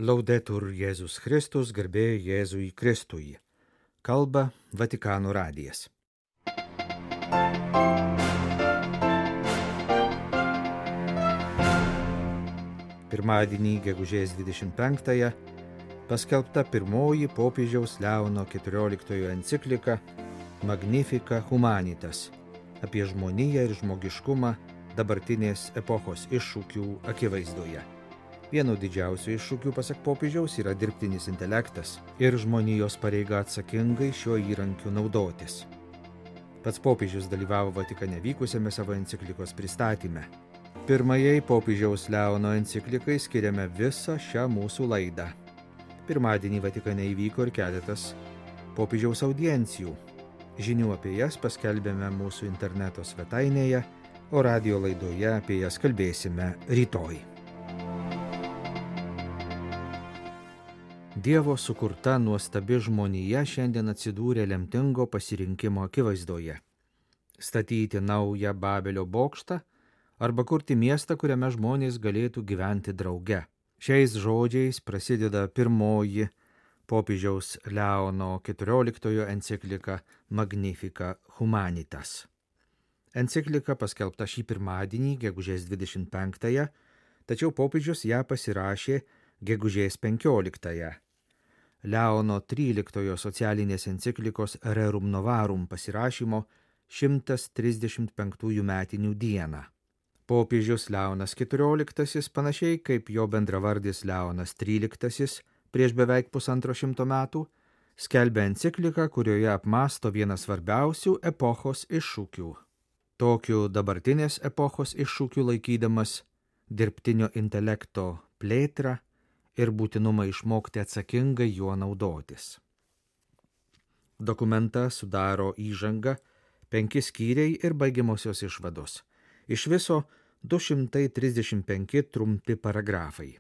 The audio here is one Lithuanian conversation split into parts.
Laudetur Jėzus Kristus, garbė Jėzui Kristui. Kalba Vatikano radijas. Pirmadienį, gegužės 25-ąją, paskelbta pirmoji popiežiaus Leono XIV enciklika Magnificat Humanitas apie žmoniją ir žmogiškumą dabartinės epochos iššūkių akivaizdoje. Vienu didžiausių iššūkių, pasak popiežiaus, yra dirbtinis intelektas ir žmonijos pareiga atsakingai šiuo įrankiu naudotis. Pats popiežius dalyvavo Vatikane vykusiame savo enciklikos pristatyme. Pirmajai popiežiaus Leono enciklikai skiriame visą šią mūsų laidą. Pirmadienį Vatikane įvyko ir keletas popiežiaus audiencijų. Žinių apie jas paskelbėme mūsų interneto svetainėje, o radijo laidoje apie jas kalbėsime rytoj. Dievo sukurta nuostabi žmonija šiandien atsidūrė lemtingo pasirinkimo akivaizdoje. Statyti naują Babelio bokštą arba kurti miestą, kuriame žmonės galėtų gyventi drauge. Šiais žodžiais prasideda pirmoji popiežiaus Leono XIV enciklika Magnificat Humanitas. Enciklika paskelbta šį pirmadienį, gegužės 25-ąją, tačiau popiežius ją pasirašė gegužės 15-ąją. Leono XIII socialinės enciklikos Rerum Novarum pasirašymo 135 metinių dieną. Popiežius Leonas XIV, panašiai kaip jo bendravardis Leonas XIII prieš beveik 150 metų, skelbia encikliką, kurioje apmąsto vieną svarbiausių epochos iššūkių. Tokiu dabartinės epochos iššūkiu laikydamas dirbtinio intelekto plėtrą ir būtinumą išmokti atsakingai juo naudotis. Dokumentą sudaro įžanga, 5 skyriai ir baigiamosios išvados. Iš viso 235 trumpi paragrafai.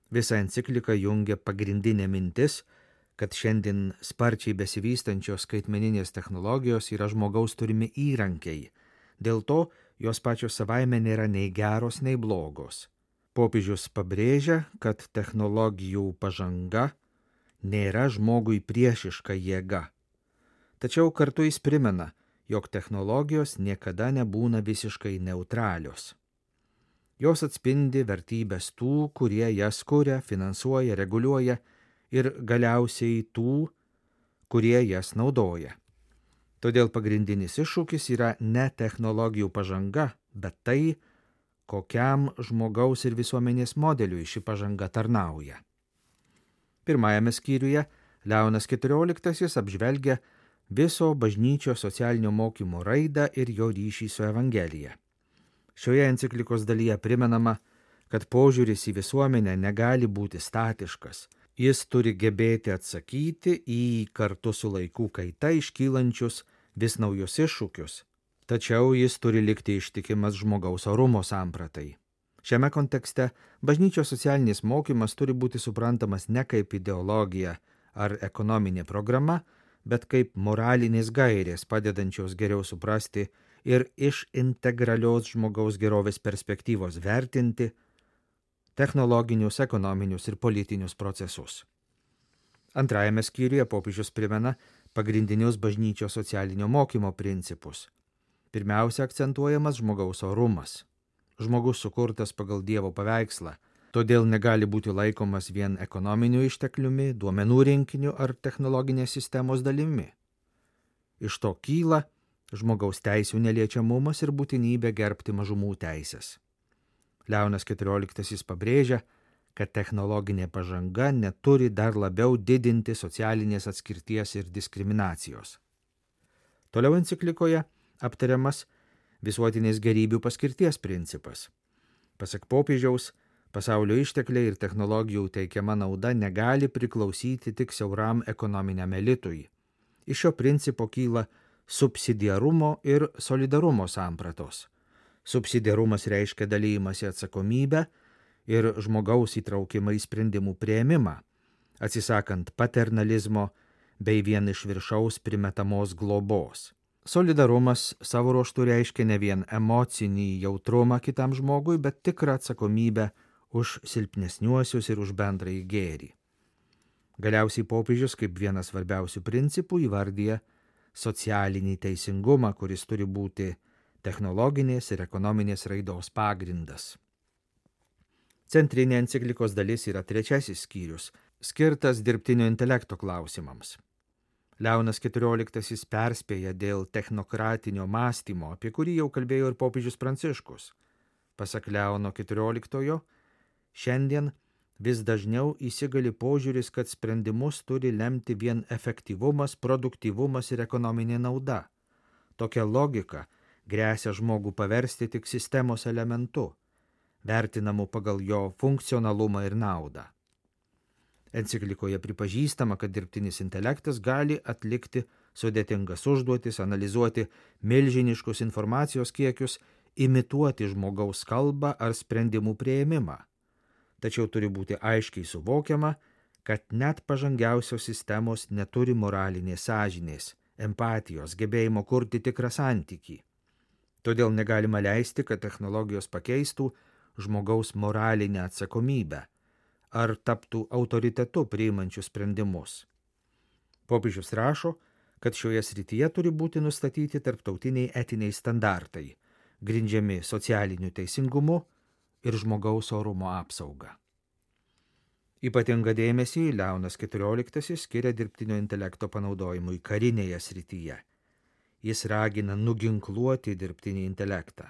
Visą encikliką jungia pagrindinė mintis, kad šiandien sparčiai besivystančios skaitmeninės technologijos yra žmogaus turimi įrankiai. Dėl to jos pačios savaime nėra nei geros, nei blogos. Popiežius pabrėžia, kad technologijų pažanga nėra žmogui priešiška jėga. Tačiau kartu jis primena, jog technologijos niekada nebūna visiškai neutralios. Jos atspindi vertybės tų, kurie jas kuria, finansuoja, reguliuoja ir galiausiai tų, kurie jas naudoja. Todėl pagrindinis iššūkis yra ne technologijų pažanga, bet tai, kokiam žmogaus ir visuomenės modeliui ši pažanga tarnauja. Pirmajame skyriuje Leonas XIV apžvelgia viso bažnyčios socialinio mokymo raidą ir jo ryšį su Evangelija. Šioje enciklikos dalyje primenama, kad požiūris į visuomenę negali būti statiškas. Jis turi gebėti atsakyti į kartu su laikų kaita iškylančius vis naujus iššūkius. Tačiau jis turi likti ištikimas žmogaus orumo sampratai. Šiame kontekste bažnyčios socialinis mokymas turi būti suprantamas ne kaip ideologija ar ekonominė programa, bet kaip moralinės gairės padedančios geriau suprasti ir iš integralios žmogaus gerovės perspektyvos vertinti technologinius, ekonominius ir politinius procesus. Antrajame skyriuje popiežius primena pagrindinius bažnyčios socialinio mokymo principus. Pirmiausia akcentuojamas žmogaus orumas. Žmogus sukurtas pagal Dievo paveikslą, todėl negali būti laikomas vien ekonominiu ištekliumi, duomenų rinkiniu ar technologinės sistemos dalimi. Iš to kyla žmogaus teisių neliečiamumas ir būtinybė gerbti mažumų teisės. Leonas XIV pabrėžia, kad technologinė pažanga neturi dar labiau didinti socialinės atskirties ir diskriminacijos. Toliau enciklikoje aptariamas visuotinės gerybių paskirties principas. Pasak popiežiaus, pasaulio ištekliai ir technologijų teikiama nauda negali priklausyti tik siauram ekonominiam elitui. Iš šio principo kyla subsidiarumo ir solidarumo sampratos. Subsidiarumas reiškia dalymasi atsakomybę ir žmogaus įtraukimą į sprendimų priėmimą, atsisakant paternalizmo bei vien iš viršaus primetamos globos. Solidarumas savo ruožtu reiškia ne vien emocinį jautrumą kitam žmogui, bet tikrą atsakomybę už silpnesniuosius ir už bendrąjį gėrį. Galiausiai popiežius kaip vienas svarbiausių principų įvardyja socialinį teisingumą, kuris turi būti technologinės ir ekonominės raidos pagrindas. Centrinė enciklikos dalis yra 3 skyrius, skirtas dirbtinio intelekto klausimams. Leonas XIV perspėja dėl technokratinio mąstymo, apie kurį jau kalbėjo ir popiežius Pranciškus. Pasak Leono XIV, šiandien vis dažniau įsigali požiūris, kad sprendimus turi lemti vien efektyvumas, produktyvumas ir ekonominė nauda. Tokia logika gresia žmogų paversti tik sistemos elementu, vertinamu pagal jo funkcionalumą ir naudą. Enciklikoje pripažįstama, kad dirbtinis intelektas gali atlikti sudėtingas užduotis, analizuoti milžiniškus informacijos kiekius, imituoti žmogaus kalbą ar sprendimų priėmimą. Tačiau turi būti aiškiai suvokiama, kad net pažangiausios sistemos neturi moralinės sąžinės, empatijos, gebėjimo kurti tikrą santykį. Todėl negalima leisti, kad technologijos pakeistų žmogaus moralinę atsakomybę ar taptų autoritetu priimančių sprendimus. Popiežius rašo, kad šioje srityje turi būti nustatyti tarptautiniai etiniai standartai, grindžiami socialiniu teisingumu ir žmogaus orumo apsauga. Ypatingą dėmesį Leonas XIV skiria dirbtinio intelekto panaudojimui karinėje srityje. Jis ragina nuginkluoti dirbtinį intelektą.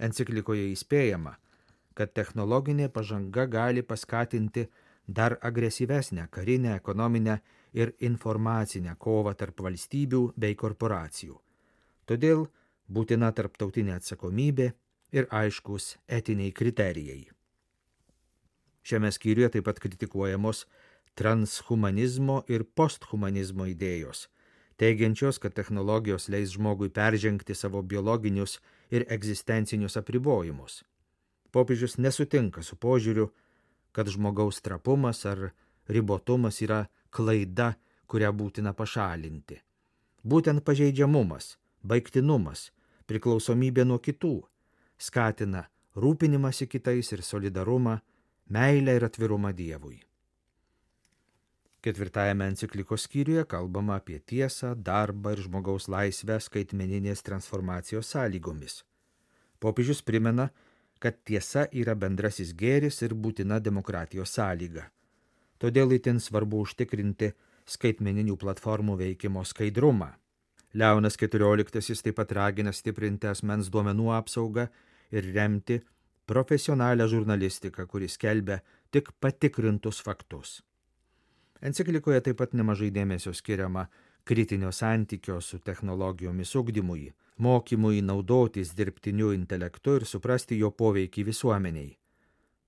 Enciklikoje įspėjama, kad technologinė pažanga gali paskatinti dar agresyvesnę karinę, ekonominę ir informacinę kovą tarp valstybių bei korporacijų. Todėl būtina tarptautinė atsakomybė ir aiškus etiniai kriterijai. Šiame skyriuje taip pat kritikuojamos transhumanizmo ir posthumanizmo idėjos, teigiančios, kad technologijos leis žmogui peržengti savo biologinius ir egzistencinius apribojimus. Popiežius nesutinka su požiūriu, kad žmogaus trapumas ar ribotumas yra klaida, kurią būtina pašalinti. Būtent pažeidžiamumas, baigtinumas, priklausomybė nuo kitų skatina rūpinimąsi kitais ir solidarumą, meilę ir atvirumą Dievui. 4 enciklikos skyriuje kalbama apie tiesą, darbą ir žmogaus laisvę skaitmeninės transformacijos sąlygomis. Popiežius primena, kad tiesa yra bendrasis gėris ir būtina demokratijos sąlyga. Todėl itin svarbu užtikrinti skaitmeninių platformų veikimo skaidrumą. Leonas XIV taip pat ragina stiprinti asmens duomenų apsaugą ir remti profesionalią žurnalistiką, kuris skelbia tik patikrintus faktus. Enciklikoje taip pat nemažai dėmesio skiriama kritinio santykio su technologijomis ugdymui, mokymui naudotis dirbtiniu intelektu ir suprasti jo poveikį visuomeniai.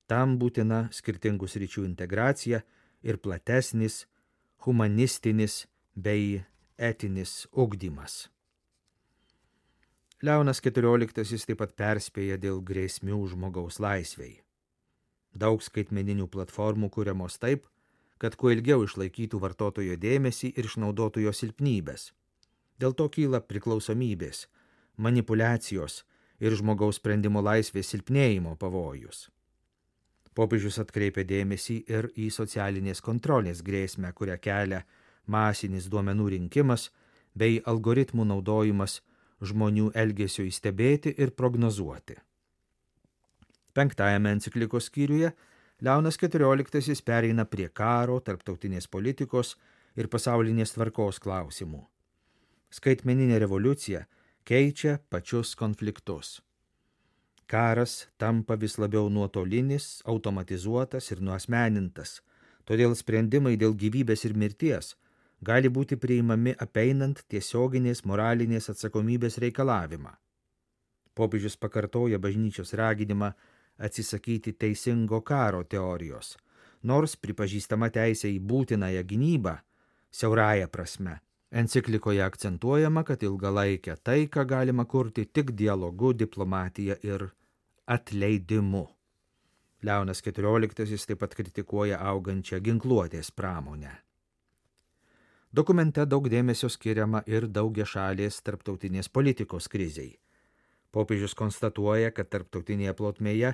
Tam būtina skirtingų sričių integracija ir platesnis, humanistinis bei etinis ugdymas. Leonas XIV taip pat perspėja dėl grėsmių žmogaus laisvei. Daug skaitmeninių platformų kuriamos taip, kad kuo ilgiau išlaikytų vartotojo dėmesį ir išnaudotų jo silpnybės. Dėl to kyla priklausomybės, manipulacijos ir žmogaus sprendimo laisvės silpnėjimo pavojus. Popiežius atkreipia dėmesį ir į socialinės kontrolės grėsmę, kurią kelia masinis duomenų rinkimas bei algoritmų naudojimas žmonių elgesio įstebėti ir prognozuoti. 5 enciklikos skyriuje Leonas XIV pereina prie karo, tarptautinės politikos ir pasaulinės tvarkos klausimų. Skaitmeninė revoliucija keičia pačius konfliktus. Karas tampa vis labiau nuotolinis, automatizuotas ir nuasmenintas, todėl sprendimai dėl gyvybės ir mirties gali būti priimami apeinant tiesioginės moralinės atsakomybės reikalavimą. Popiežius pakartoja bažnyčios raginimą atsisakyti teisingo karo teorijos, nors pripažįstama teisė į būtinąją gynybą siaurąja prasme. Enciklikoje akcentuojama, kad ilgalaikę taiką galima kurti tik dialogu, diplomatija ir atleidimu. Leonas XIV taip pat kritikuoja augančią ginkluotės pramonę. Dokumente daug dėmesio skiriama ir daugiašalės tarptautinės politikos krizei. Popiežius konstatuoja, kad tarptautinėje plotmėje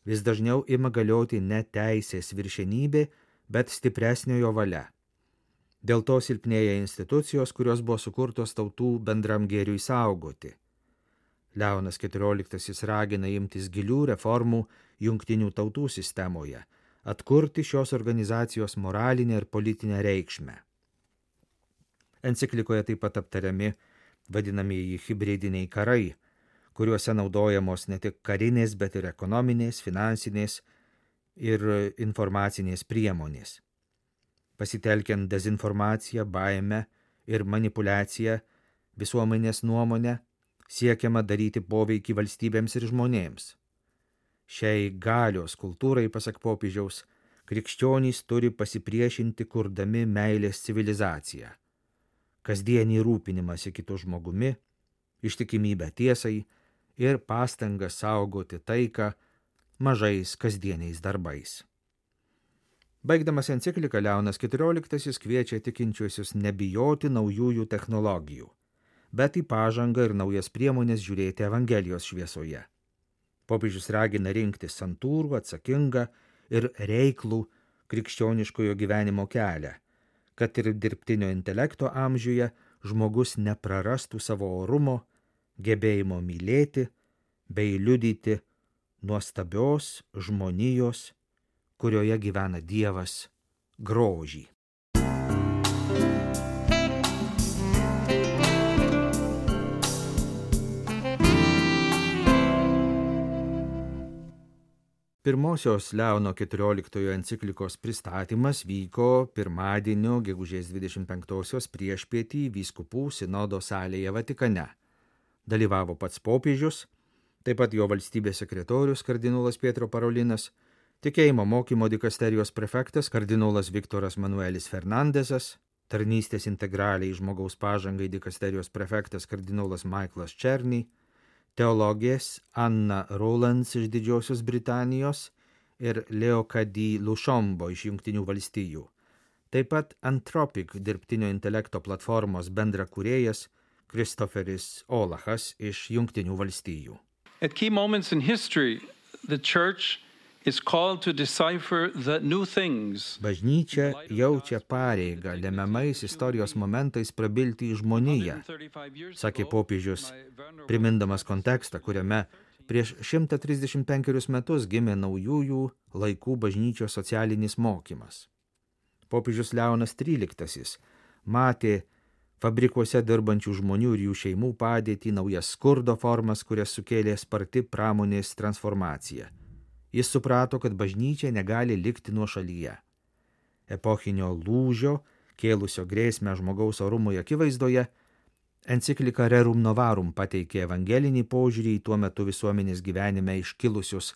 vis dažniau ima galioti ne teisės viršenybė, bet stipresniojo valia. Dėl to silpnėja institucijos, kurios buvo sukurtos tautų bendram gėriui saugoti. Leonas XIV ragina imtis gilių reformų jungtinių tautų sistemoje, atkurti šios organizacijos moralinę ir politinę reikšmę. Enciklikoje taip pat aptariami vadinamieji hibridiniai karai, kuriuose naudojamos ne tik karinės, bet ir ekonominės, finansinės ir informacinės priemonės. Pasitelkiant dezinformaciją, baimę ir manipuliaciją visuomenės nuomonę, siekiama daryti poveikį valstybėms ir žmonėms. Šiai galios kultūrai, pasak popiežiaus, krikščionys turi pasipriešinti kurdami meilės civilizaciją, kasdienį rūpinimąsi kitu žmogumi, ištikimybę tiesai ir pastangą saugoti taiką mažais kasdieniais darbais. Baigdamas encikliką, Leonas XIV kviečia tikinčiuosius nebijoti naujųjų technologijų, bet į pažangą ir naujas priemonės žiūrėti Evangelijos šviesoje. Popiežius ragina rinktis santūrų, atsakingą ir reiklų krikščioniškojo gyvenimo kelią, kad ir dirbtinio intelekto amžiuje žmogus neprarastų savo orumo, gebėjimo mylėti bei liudyti nuostabios žmonijos, kurioje gyvena Dievas, grožį. Pirmosios Leono XIV enciklikos pristatymas vyko pirmadienio gegužės 25-osios priešpietį vyskupų sinodo salėje Vatikane. Dalyvavo pats popiežius, taip pat jo valstybės sekretorius kardinolas Pietro Parolinas, tikėjimo mokymo dikasterijos prefektas kardinolas Viktoras Manuelis Fernandesas, tarnystės integraliai žmogaus pažangai dikasterijos prefektas kardinolas Michaelas Černy, teologės Anna Rowlands iš Didžiosios Britanijos ir Leokadi Lušombo iš Jungtinių valstijų. Taip pat Anthropic dirbtinio intelekto platformos bendrakūrėjas Christopheris Olachas iš Jungtinių valstijų. At key moments in history, the church is called to decipher the new things. Bažnyčia jaučia pareigą lemiamais istorijos momentais prabilti į žmoniją, sakė popiežius, primindamas kontekstą, kuriame prieš 135 metus gimė naujųjų laikų bažnyčios socialinis mokymas. Popiežius Leonas XIII matė fabrikuose dirbančių žmonių ir jų šeimų padėtį, naujas skurdo formas, kurias sukėlė sparti pramonės transformacija. Jis suprato, kad bažnyčia negali likti nuošalyje. Epochinio lūžio, kėlusio grėsmę žmogaus orumui akivaizdoje, enciklika Rerum Novarum pateikė evangelinį požiūrį į tuo metu visuomenės gyvenime iškilusius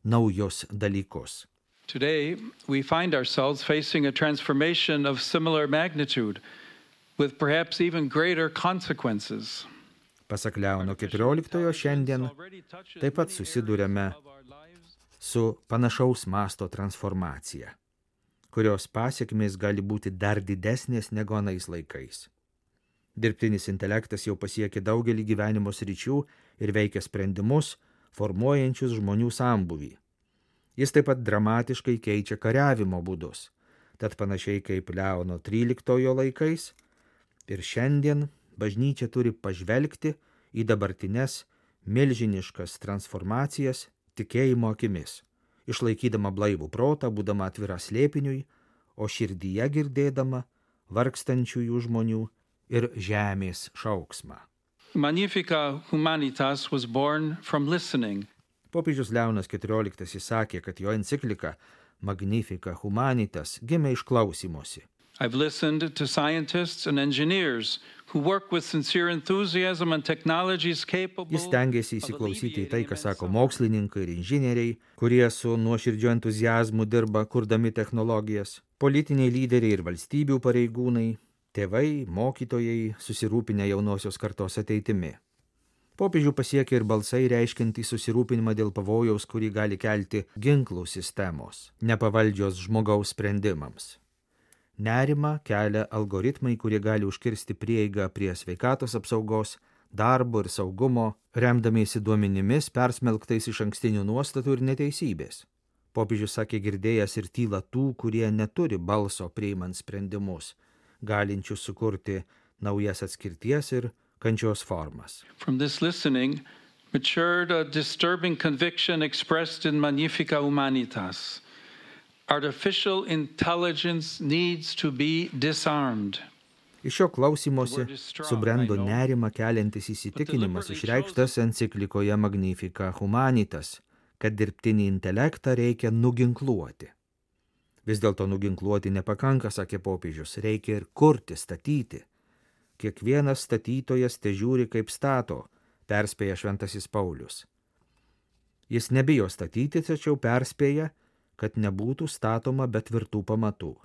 naujus dalykus. Today, we find ourselves facing a transformation of similar magnitude, with perhaps even greater consequences. Pasak Leono XIV, šiandien taip pat susiduriame su panašaus masto transformacija, kurios pasekmės gali būti dar didesnės negu anais laikais. Dirbtinis intelektas jau pasiekė daugelį gyvenimo sričių ir veikia sprendimus, formuojančius žmonių sambūvį. Jis taip pat dramatiškai keičia kariavimo būdus, tad panašiai kaip Leono XIII laikais, ir šiandien bažnyčia turi pažvelgti į dabartines milžiniškas transformacijas tikėjimo akimis, išlaikydama blaivų protą, būdama atvira slėpiniui, o širdyje girdėdama vargstančiųjų žmonių ir žemės šauksmą. Magnifica Humanitas was born from listening. Popiežius Leonas XIV sakė, kad jo enciklika Magnifica Humanitas gimė iš klausymosi. I've listened to scientists and engineers who work with sincere enthusiasm and technologies capable. Jis stengiasi įsiklausyti į tai, ką sako mokslininkai ir inžinieriai, kurie su nuoširdžiu entuziazmu dirba kurdami technologijas, politiniai lyderiai ir valstybių pareigūnai, tėvai, mokytojai, susirūpinę jaunosios kartos ateitimi. Popiežių pasiekia ir balsai reiškiantys susirūpinimą dėl pavojaus, kurį gali kelti ginklų sistemos, nepavaldžios žmogaus sprendimams. Nerimą kelia algoritmai, kurie gali užkirsti prieigą prie sveikatos apsaugos, darbo ir saugumo, remdamiesi duomenimis persmelktais iš ankstinių nuostatų ir neteisybės. Popiežius sakė girdėjęs ir tylą tų, kurie neturi balso priimant sprendimus, galinčių sukurti naujas atskirties ir kančios formas. From this listening matured a disturbing conviction expressed in Magnificat Humanitas. Artificial intelligence needs to be disarmed. Iš šio klausymosi subrendo nerimą keliantis įsitikinimas išreikštas enciklikoje Magnificat Humanitas, kad dirbtinį intelektą reikia nuginkluoti. Vis dėlto nuginkluoti nepakanka, sakė popiežius, reikia ir kurti, statyti. Kiekvienas statytojas težiūri kaip stato, perspėja šventasis Paulius. Jis nebijo statyti, tačiau perspėja, kad nebūtų statoma be tvirtų pamatų.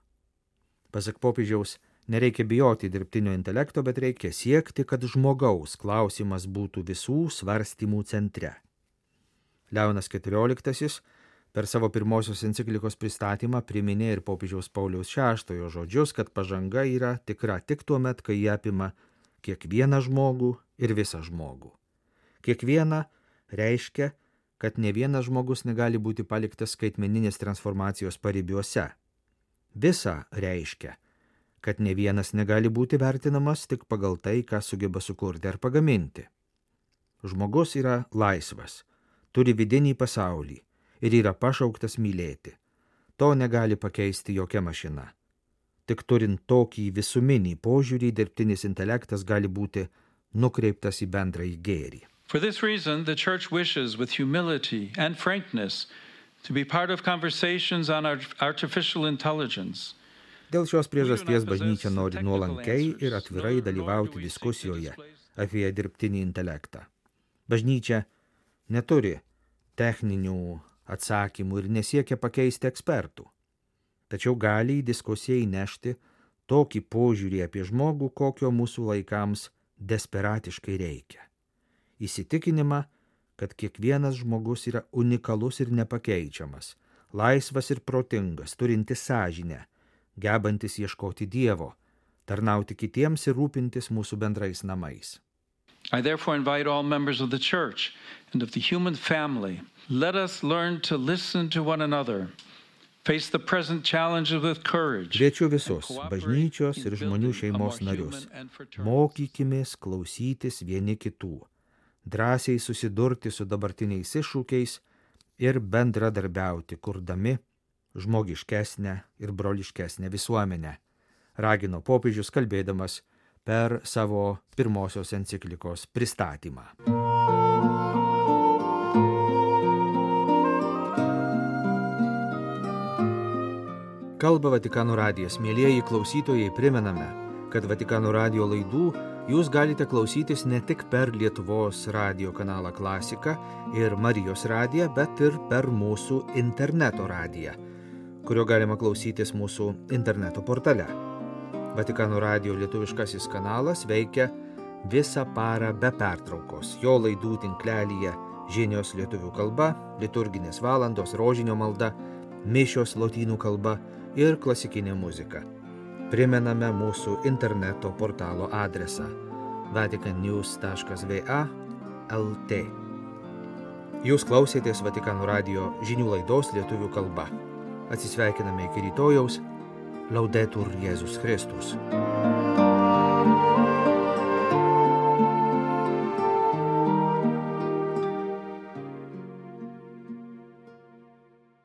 Pasak popiežiaus, nereikia bijoti dirbtinio intelekto, bet reikia siekti, kad žmogaus klausimas būtų visų svarstymų centre. Leonas XIV per savo pirmosios enciklikos pristatymą priminė ir popiežiaus Pauliaus VI žodžius, kad pažanga yra tikra tik tuo met, kai jie apima kiekvieną žmogų ir visą žmogų. Kiekviena reiškia, kad ne vienas žmogus negali būti paliktas skaitmeninės transformacijos paribiuose. Visa reiškia, kad ne vienas negali būti vertinamas tik pagal tai, ką sugeba sukurti ar pagaminti. Žmogus yra laisvas, turi vidinį pasaulį ir yra pašauktas mylėti. To negali pakeisti jokia mašina. Tik turint tokį visuminį požiūrį, dirbtinis intelektas gali būti nukreiptas į bendrąjį gėrį. For this reason, the Church wishes with humility and frankness to be part of conversations on artificial intelligence. Dėl šios priežasties bažnyčia nori nuolankiai ir atvirai dalyvauti diskusijoje apie dirbtinį intelektą. Bažnyčia neturi techninių atsakymų ir nesiekia pakeisti ekspertų. Tačiau gali į diskusiją įnešti tokį požiūrį apie žmogų, kokio mūsų laikams desperatiškai reikia. Įsitikinimą, kad kiekvienas žmogus yra unikalus ir nepakeičiamas, laisvas ir protingas, turintis sąžinę, gebantis ieškoti Dievo, tarnauti kitiems ir rūpintis mūsų bendrais namais. I therefore invite all members of the Church and of the human family, let us learn to listen to one another, face the present challenges with courage. Kviečiu visus bažnyčios ir žmonių šeimos narius. Mokykimės klausytis vieni kitų, drąsiai susidurti su dabartiniais iššūkiais ir bendradarbiauti, kurdami žmogiškesnę ir broliškesnę visuomenę, ragino popiežius kalbėdamas per savo pirmosios enciklikos pristatymą. Kalba Vatikano radijas. Mielieji klausytojai, primename, kad Vatikano radijo laidų jūs galite klausytis ne tik per Lietuvos radijo kanalą Klasika ir Marijos radiją, bet ir per mūsų interneto radiją, kurio galima klausytis mūsų interneto portale. Vatikano radijo lietuviškasis kanalas veikia visą parą be pertraukos. Jo laidų tinklelyje žinios lietuvių kalba, liturginės valandos, rožinio malda, mišios lotynų kalba ir klasikinė muzika. Primename mūsų interneto portalo adresą vaticannews.va/lt. Jūs klausėtės Vatikano radijo žinių laidos lietuvių kalba. Atsisveikiname iki rytojaus. Laudetur Jėzus Kristus.